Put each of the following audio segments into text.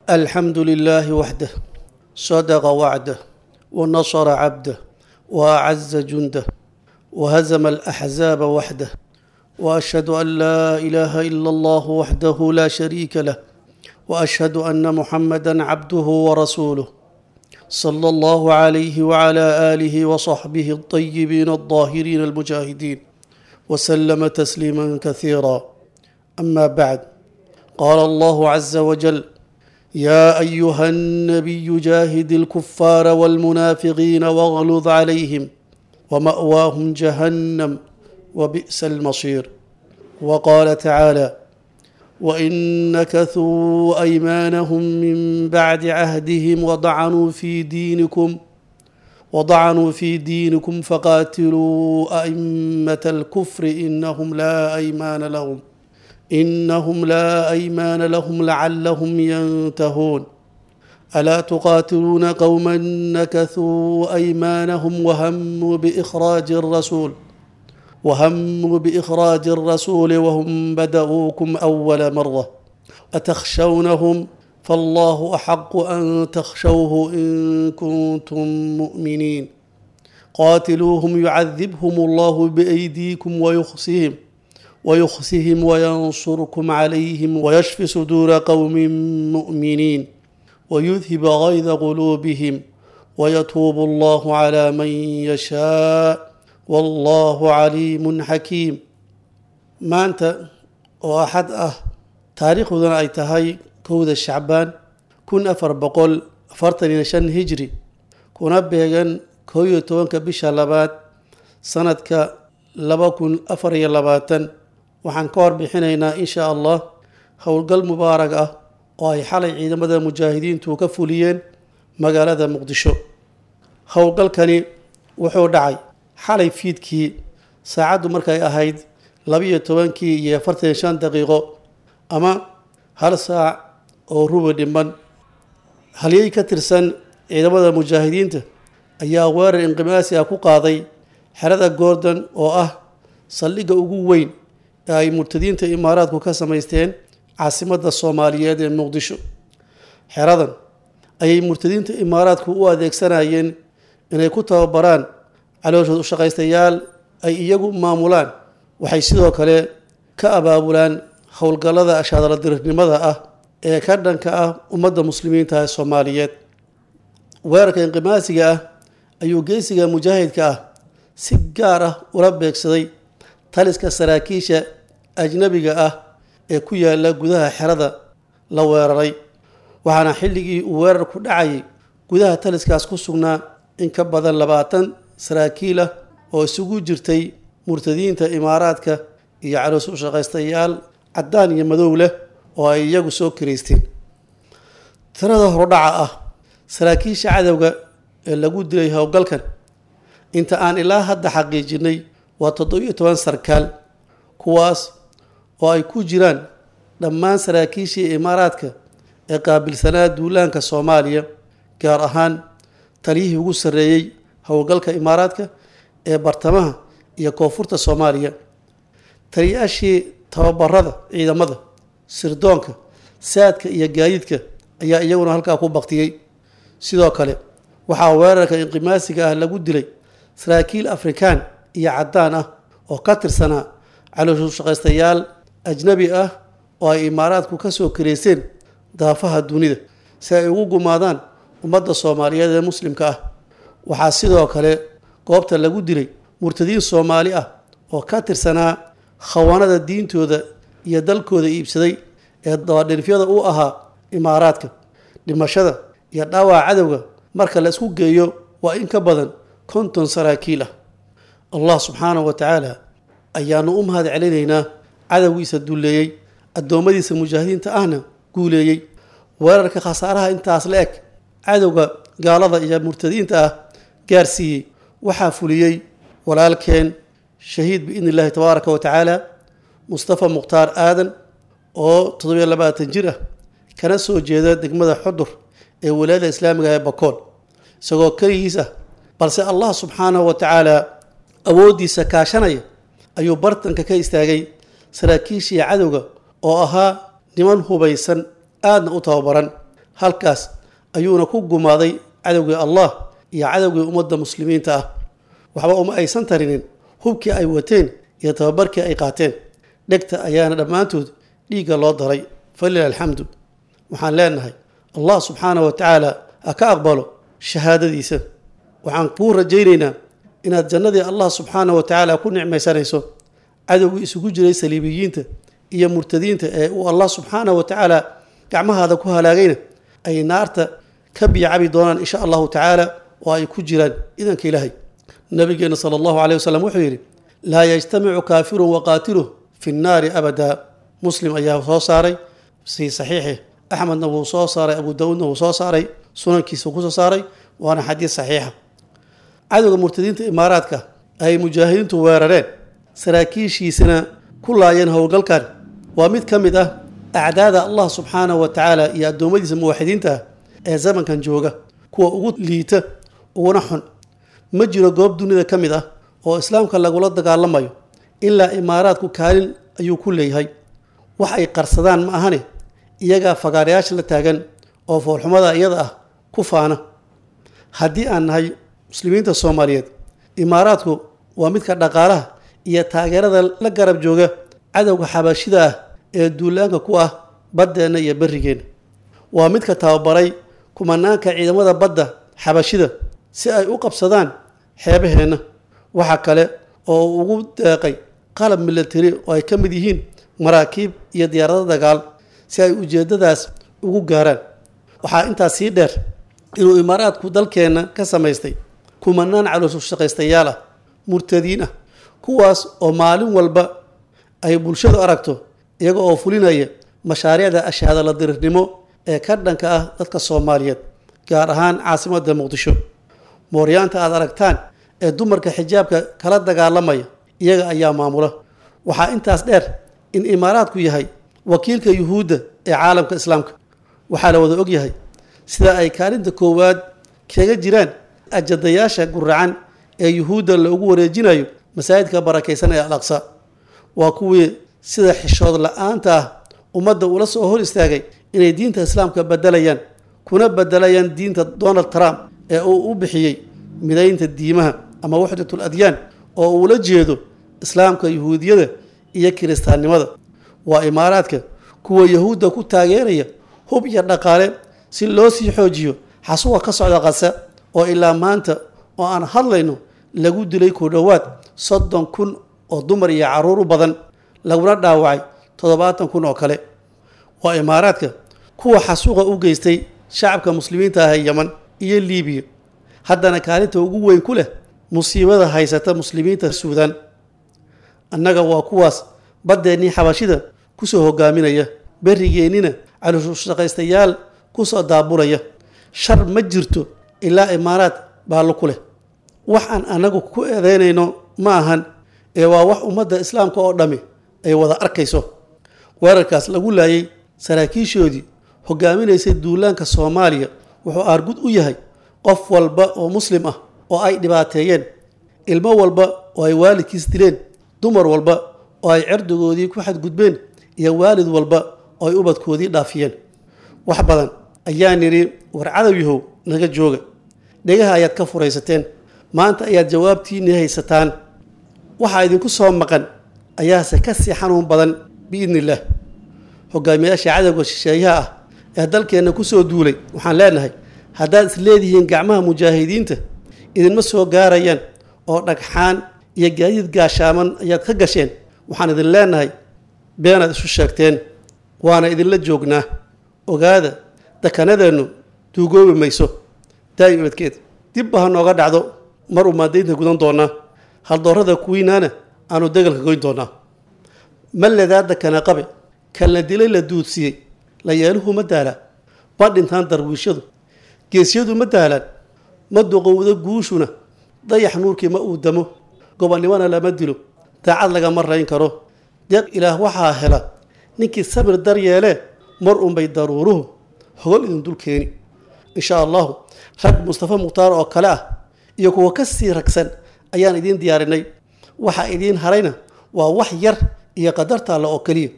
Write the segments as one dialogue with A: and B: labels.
A: الحمد لله وحده، صدق وعده، ونصر عبده، وأعز جنده، وهزم الأحزاب وحده، وأشهد أن لا إله إلا الله وحده لا شريك له، وأشهد أن محمدا عبده ورسوله، صلى الله عليه وعلى آله وصحبه الطيبين الطاهرين المجاهدين، وسلم تسليما كثيرا. أما بعد، قال الله عز وجل: يا أيها النبي جاهد الكفار والمنافقين واغلظ عليهم ومأواهم جهنم وبئس المصير. وقال تعالى: وإن نكثوا أيمانهم من بعد عهدهم وضعنوا في دينكم فقاتلوا أئمة الكفر إنهم لا أيمان لهم لعلهم ينتهون. ألا تقاتلون قوما نكثوا أيمانهم وهموا بإخراج الرسول وهم بدؤوكم أول مرة، أتخشونهم فالله أحق أن تخشوه إن كنتم مؤمنين. قاتلوهم يعذبهم الله بأيديكم ويخزهم وينصركم عليهم ويشف صدور قوم مؤمنين ويذهب غيظ قلوبهم ويتوب الله على من يشاء والله عليم حكيم. Maanta oo Axad ah, taariikhduna ay tahay 1 Shacbaan 1445 Hijri, kuna beegan 11-ka bisha labaad sanadka 2024, waxaan ka warbixinaynaa, insha Allah, howlgal mubaarag ah oo ay xalay ciidamada mujaahidiintu ka fuliyeen magaalada Muqdisho. Howlgalkani wuxuu dhacay xalay fiidkii, saacaddu markay ahayd 12-kii iyo 45 daqiiqo ama 1 saac oo rubi dhiman. Halyey ka tirsan ciidamada mujaahidiinta ayaa weerar inqimaasi ah ku qaaday xerada Gordon oo ah saldhigga ugu weyn ee ay murtadiinta Imaaraadku ka samaysteen caasimadda Soomaaliyeed ee Muqdisho. Xeradan ayay murtadiinta Imaaraadku u adeegsanayeen inay ku tababaraan calooshood ushaqaystayaal ay iyagu maamulaan. Waxay sidoo kale ka abaabulaan howlgallada ashaadaladirirnimada ah ee ka dhanka ah ummadda muslimiinta ee Soomaaliyeed. Weerarka inqimaasiga ah ayuu geesiga mujaahidka ah si gaar ah ula beegsaday taliska saraakiisha ajnabiga ah ee ku yaala gudaha xerada la weeraray, waxaana xilligii uu weerarku dhacayay gudaha taliskaas ku sugnaa in ka badan 20 saraakiil ah oo isugu jirtay murtadiinta Imaaraadka iyo caloos u shaqaystayaal caddaan iyo madow leh oo ay iyagu soo kiraysteen. Tirada horudhaca ah saraakiisha cadowga ee lagu dilay howlgalkan, inta aan ilaa hadda xaqiijinay, waa 17 sarkaal, kuwaas oo ay ku jiraan dhammaan saraakiishii Imaaraadka ee qaabilsanaa duulaanka Soomaaliya, gaar ahaan taliyihii ugu sarreeyey howlgalka Imaaraadka ee bartamaha iyo koonfurta Soomaaliya, taliyaashii tababarada ciidamada, sirdoonka, saadka iyo gaadiidka ayaa iyaguna halkaa ku baktiyey. Sidoo kale waxaa weerarka inqimaasiga ah lagu dilay saraakiil Afrikaan iyo caddaan ah oo ka tirsanaa calooshushaqaystayaal ajnabi ah oo ay Imaaraadku ka soo kareyseen daafaha dunida si ay ugu gumaadaan ummadda Soomaaliyeed ee muslimka ah. Waxaa sidoo kale goobta lagu dilay murtadiin Soomaali ah oo ka tirsanaa khawaanada diintooda iyo dalkooda iibsaday ee dabadhilifyada u ahaa Imaaraadka. Dhimashada iyo dhaawaca cadowga marka la isku geeyo waa in ka badan 50 saraakiil ah. Allah subxaanahu wa tacaala ayaanu u mahad celinaynaa, cadowgiisa dulleeyey, addoommadiisa mujaahidiinta ahna guuleeyey. Weerarka khasaaraha intaas la eg cadowga gaalada iyo murtadiinta ah gaarsiiyey waxaa fuliyey walaalkeen shahiid, biidni Illaahi tabaaraka wa tacaala, Mustafa Mukhtaar Aadan oo 27 jir ah, kana soo jeeda degmada Xudur ee Walaayada Islaamiga ee Bakool. Isagoo keligiis ah, balse Allah subxaanahu wa tacaala awooddiisa kaashanaya, ayuu bartanka ka istaagay saraakiishii cadowga oo ahaa niman hubaysan, aadna u tababaran. Halkaas ayuuna ku gumaaday cadowgii Allah iyo cadowgii ummadda muslimiinta ah. Waxba uma aysan tarinin hubkii ay wateen iyo tababarkii ay qaateen. Dhegta ayaana dhammaantood dhiigga loo daray. Falilah alxamdu. Waxaan leenahay Allah subxaanahu wa tacaala ha ka aqbalo shahaadadiisa. Waxaan kuu rajaynaynaa inaad jannadii Allah subxaanahu wa tacaala ku nicmaysanayso. Cadowgii isugu jiray saliibiyiinta iyo murtadiinta ee uu Allah subxaanahu wa tacaala gacmahaada ku halaagayna ay naarta ka biyacabi doonaan insha allahu tacaala, oo ay ku jiraan idanka Ilaahay. Nabigeena sala allahu caleyhi wasalam wuxuu yidhi: laa yajtamicu kaafirun wa qaatiluh fi nnaari abadaa. Muslim ayaa soo saaray fii saxiixih, Axmedna wuu soo saaray, Abu Daawuudna wuu soo saaray, sunankiisa ku soo saaray, waana xadiis saxiixa. Cadowga murtadiinta imaaraadka ay mujaahidiintu weerareen, saraakiishiisana ku laayeen howlgalkan, waa mid ka mid ah acdaada Allah subxaanahu wa tacaala iyo addoommadiisa muwaxidiinta ah ee zamankan jooga, kuwa ugu liita uguna xun. Ma jiro goob dunida ka mid ah oo islaamka lagula dagaalamayo ilaa imaaraadku kaalin ayuu ku leeyahay. Wax ay qarsadaan ma ahane, iyagaa fagaarayaasha la taagan oo foolxumada iyada ah ku faana. Haddii aan nahay muslimiinta Soomaaliyeed, imaaraadku waa midka dhaqaalaha iyo taageerada la garab jooga cadowga xabashida ah ee duulaanka ku ah baddeenna iyo berrigeenna. Waa midka tababaray kumanaanka ciidamada badda xabashida si ay u qabsadaan xeebaheenna. Waxa kale oo uu ugu deeqay qalab milatari oo ay ka mid yihiin maraakiib iyo diyaarado dagaal si ay ujeeddadaas ugu gaaraan. Waxaa intaas sii dheer inuu imaaraadku dalkeenna ka samaystay kumanaan caloosshaqaystayaal ah, murtadiin ah, kuwaas oo maalin walba ay bulshadu aragto iyaga oo fulinaya mashaariicda ashaadala dirirnimo ee ka dhanka ah dadka Soomaaliyeed, gaar ahaan caasimadda Muqdisho. Mooryaanta aad aragtaan ee dumarka xijaabka kala dagaalamaya iyaga ayaa maamula. Waxaa intaas dheer in imaaraadku yahay wakiilka yuhuudda ee caalamka islaamka. Waxaa la wada ogyahay sida ay kaalinta koowaad kaga jiraan ajadayaasha guracan ee yuhuudda loogu wareejinayo masaajidka barakaysan ee Al Aqsa. Waa kuwii sida xishood la-aanta ah ummadda ula soo hor istaagay inay diinta islaamka bedelayaan, kuna bedelayaan diinta Donald Trump ee uu u bixiyey midaynta diimaha ama waxdatul adyaan, oo uula jeedo islaamka, yuhuudiyada iyo kiristaannimada. Waa imaaraadka kuwa yahuudda ku taageeraya hub iyo dhaqaale si loo sii xoojiyo xasuuqa ka socda Qasa, oo ilaa maanta oo aan hadlayno lagu dilay ku dhowaad 30,000 oo dumar iyo carruur u badan, laguna dhaawacay 70,000 oo kale. Waa imaaraadka kuwa xasuuqa u geystay shacabka muslimiinta ah ee Yeman iyo Liibiya, haddana kaalinta ugu weyn ku leh musiibada haysata muslimiinta Suudaan. Annaga waa kuwaas baddeenii xabashida kusoo hogaaminaya, berrigeennina caloosshaqaystayaal kusoo daabulaya. Shar ma jirto ilaa imaaraad baallo ku leh. Wax aan annagu ku eedeynayno ma ahan, ee waa wax ummadda islaamka oo dhammi ay wada arkayso. Weerarkaas lagu laayay saraakiishoodii hogaaminaysay duulaanka Soomaaliya wuxuu aargud u yahay qof walba oo muslim ah oo ay dhibaateeyeen, ilmo walba oo ay waalidkiis dileen, dumar walba oo ay cirdigoodii ku xadgudbeen, iyo waalid walba oo ay ubadkoodii dhaafiyeen. Wax badan ayaa nidhi war cadow yahow naga jooga, dhegaha ayaad ka furaysateen, maanta ayaad jawaabtiinii haysataan. Waxaa idinku soo maqan ayaase ka sii xanuun badan biidni illaah. Hogaamiyaasha cadowga shisheeyaha ah ee dalkeenna ku soo duulay waxaan leenahay: haddaad is leedihiin gacmaha mujaahidiinta idinma soo gaarayaan oo dhagxaan iyo gaadiid gaashaaman ayaad ka gasheen, waxaan idin leenahay beenaad isu sheegteen, waana idinla joognaa. Ogaada, dakanadeennu duugoobi mayso daa'im ibadkeed, dibba ha nooga dhacdo mar uu maadaynta gudan doonaa, haldoorada kuwiinaana aanu degalka goyn doonaa. Ma ledaa dakana qabe kan la dilay la duudsiiyey, la yeeluhu ma daalaa, ma dhintaan darwiishadu, geesyadu ma daalaan, ma duqowdo guushuna, dayax nuurkii ma uu damo, gobonnimona lama dilo, daacad lagama rayn karo. Deeq ilaah waxaa hela ninkii sabir dar yeelee, mar unbay daruuruhu hogol idin dul keeni insha allahu. Rag Mustafa Mukhtaar oo kale ah iyo kuwa ka sii ragsan ayaan idiin diyaarinay. Waxa idiin harayna waa wax yar iyo qadarta alle oo keliya.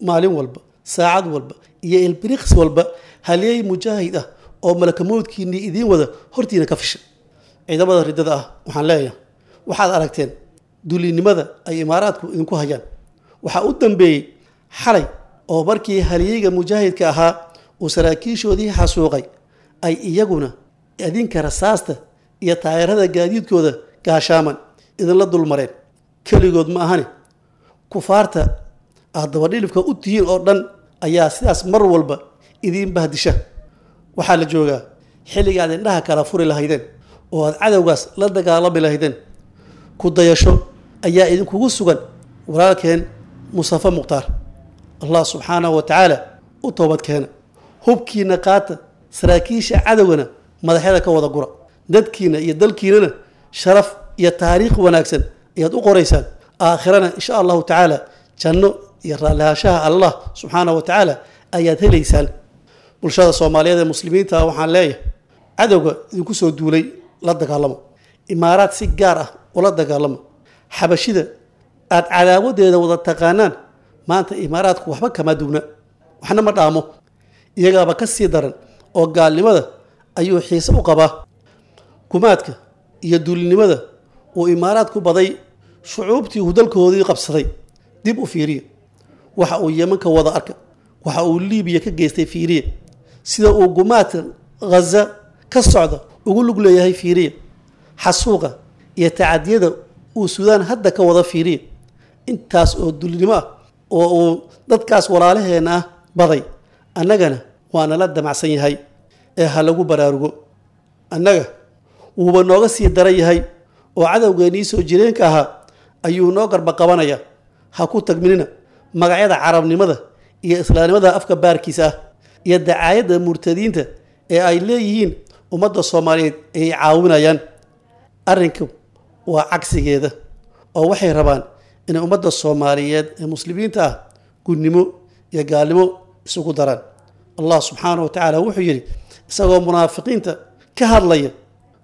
A: Maalin walba, saacad walba iyo ilbiriqs walba Halyey mujaahid ah oo malakamoodkiinnii idiin wada hortiina ka fisha. Ciidamada riddada ah waxaan leeyahay, waxaad aragteen dulinimada ay imaaraadku idinku hayaan. Waxaa u dambeeyey xalay oo markii halyeyga mujaahidka ahaa uu saraakiishoodii xasuuqay, ay iyaguna idinka rasaasta iyo taageerada gaadiidkooda gaashaaman idinla dulmareen. Keligood ma ahani, kufaarta aad dabadhilifka u tihiin oo dhan ayaa sidaas mar walba idiin bahdisha. Waxaa la joogaa xilliga aad indhaha kala furi lahaydeen oo aad cadowgaas la dagaalami lahaydeen. Ku dayasho ayaa idinkugu sugan walaalkeen Mustafa Mukhtaar. Allah subxaanahu wa tacaala u toobad keena, hubkiina qaata, saraakiisha cadowgana madaxyada ka wada gura. Dadkiina iyo dalkiinana sharaf iyo taariikh wanaagsan ayaad u qoraysaan. Aakhirana insha allahu tacaala janno iyo raallihaanshaha Allah subxaanahu wa tacaala ayaad helaysaan. Bulshada Soomaaliyeed ee muslimiinta ah waxaan leeyahay, cadowga idinku soo duulay la dagaalamo, imaaraad si gaar ah ula dagaalamo. Xabashida aad cadaawadeeda wada taqaanaan maanta imaaraadku waxba kama duwna, waxna ma dhaamo, iyagaaba ka sii daran oo gaalnimada ayuu xiise u qabaa. Gumaadka iyo duulinimada uu imaaraadku baday shucuubtii uu dalkoodii qabsaday dib u fiiriya. Waxa uu Yeman ka wada arka, waxa uu Liibiya ka geystay fiiriya, sida uu gumaadka Ghaza ka socda ugu lug leeyahay fiiriya, xasuuqa iyo tacadiyada uu Suudaan hadda ka wada fiiriya. Intaas oo dulinimo ah oo uu dadkaas walaalaheena ah baday, annagana waa nala damacsan yahay ee ha lagu baraarugo. Annaga wuuba nooga sii daran yahay oo cadowgeennii soo jireenka ahaa ayuu noo garba qabanaya. Ha ku tagminina magacyada carabnimada iyo islaamnimada afka baarkiisa ah iyo dacaayadda murtadiinta ee ay leeyihiin ummadda Soomaaliyeed ay caawinayaan. Arrinku waa cagsigeeda, oo waxay rabaan inay ummadda Soomaaliyeed ee muslimiinta ah gunnimo iyo gaalnimo isugu daraan. Allah subxaanahu wa tacaala wuxuu yidhi isagoo munaafiqiinta ka hadlaya: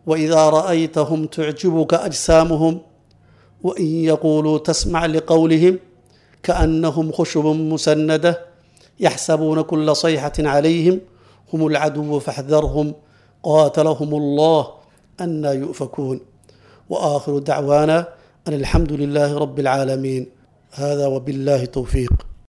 A: waidaa ra'aytahum tucjibuka ajsaamuhum wain yaquuluu tasmac liqowlihim kaannahum khushubun musanada yaxsabuuna kula sayxatin calayhim hum alcaduwu faxdarhum qaatalahum allah anaa yu'fakuun. Waakhiru dacwaana an alxamdu lilaahi rabbi alcaalamiin. Hada wabillahi towfiiq.